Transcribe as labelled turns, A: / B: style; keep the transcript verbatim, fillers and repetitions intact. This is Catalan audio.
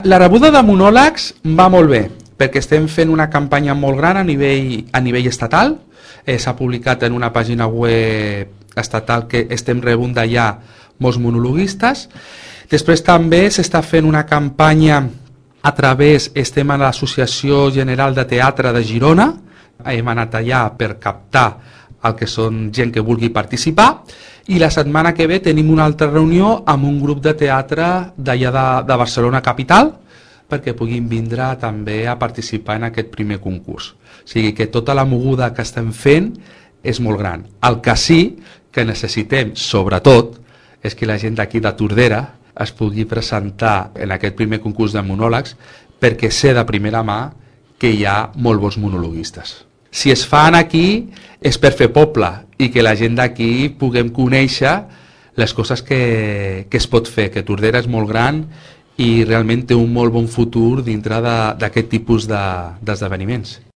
A: La rebuda de monòlegs va molt bé, perquè estem fent una campanya molt gran a nivell, a nivell estatal. Eh, S'ha publicat en una pàgina web estatal que estem rebent d'allà molts monologuistes. Després també s'està fent una campanya a través, estem a l'Associació General de Teatre de Girona, hem anat allà per captar el que són gent que vulgui participar, i la setmana que ve tenim una altra reunió amb un grup de teatre d'allà de, de Barcelona capital, perquè puguin vindre també a participar en aquest primer concurs. O sigui que tota la moguda que estem fent és molt gran. El que sí que necessitem, sobretot, és que la gent d'aquí de Tordera es pugui presentar en aquest primer concurs de monòlegs, perquè sé de primera mà que hi ha molt bons monologuistes. Si es fan aquí és per fer poble i que la gent d'aquí puguem conèixer les coses que, que es pot fer, que Tordera és molt gran i realment té un molt bon futur dintre d'aquest tipus d'esdeveniments.